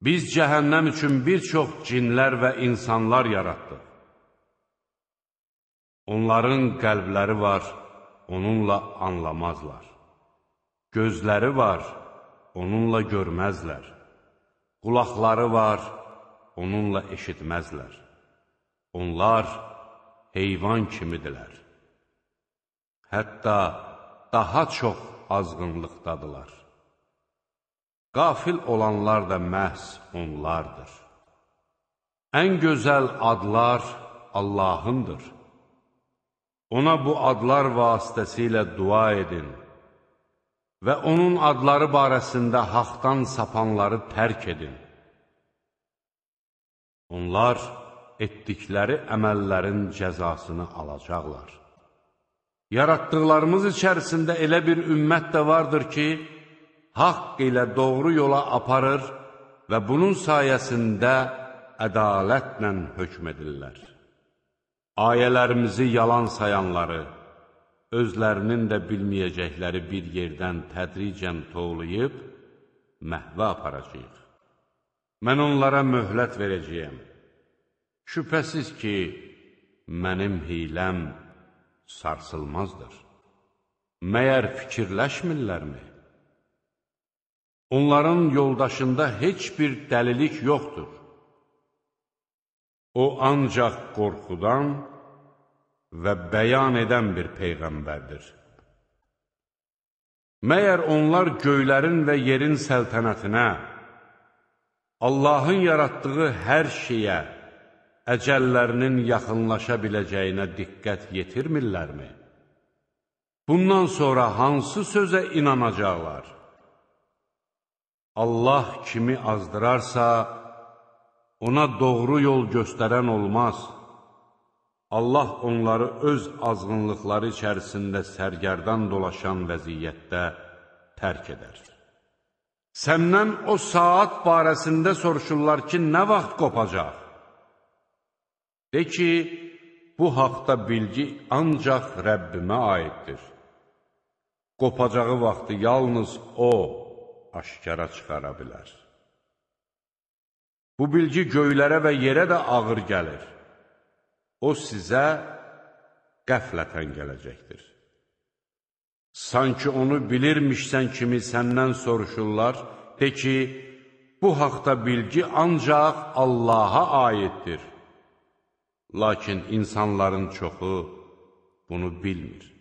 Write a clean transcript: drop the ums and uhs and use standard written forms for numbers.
Biz cəhənnəm üçün bir çox cinlər və insanlar yaratdıq. Onların qəlbləri var, onunla anlamazlar. Gözləri var, onunla görməzlər. Qulaqları var, onunla eşitməzlər. Onlar heyvan kimidirlər. Hətta daha çox azğınlıqdadılar. Qafil olanlar da məhz onlardır. Ən gözəl adlar Allahındır. Ona bu adlar vasitəsilə dua edin və onun adları barəsində haqdan sapanları tərk edin. Onlar etdikləri əməllərin cəzasını alacaqlar. Yaratdıqlarımız içərisində elə bir ümmət də vardır ki, haqq ilə doğru yola aparır və bunun sayəsində ədalətlə hökm edirlər. Ayələrimizi yalan sayanları, özlərinin də bilməyəcəkləri bir yerdən tədricən tovlayıb, məhvə aparacaq. Mən onlara möhlət verəcəyəm. Şübhəsiz ki, mənim hiləm sarsılmazdır. Məyər fikirləşmirlərmi? Onların yoldaşında heç bir dəlilik yoxdur. O ancaq qorxudan və bəyan edən bir peyğəmbərdir. Məyər onlar göylərin və yerin səltənətinə, Allahın yaratdığı hər şeyə, əcəllərinin yaxınlaşa biləcəyinə diqqət yetirmirlərmi? Bundan sonra hansı sözə inanacaqlar? Allah kimi azdırarsa, ona doğru yol göstərən olmaz. Allah onları öz azğınlıqları içərisində sərgərdan dolaşan vəziyyətdə tərk edər. Səndən o saat barəsində soruşurlar ki, nə vaxt qopacaq? De ki, bu haqda bilgi ancaq Rəbbimə aiddir. Qopacağı vaxtı yalnız O aşkara çıxara bilər. Bu bilgi göylərə və yerə də ağır gəlir. O sizə qəflətən gələcəkdir. Sanki onu bilirmişsən kimi səndən soruşurlar, de ki, bu haqda bilgi ancaq Allaha aiddir. Lakin insanların çoxu bunu bilmir.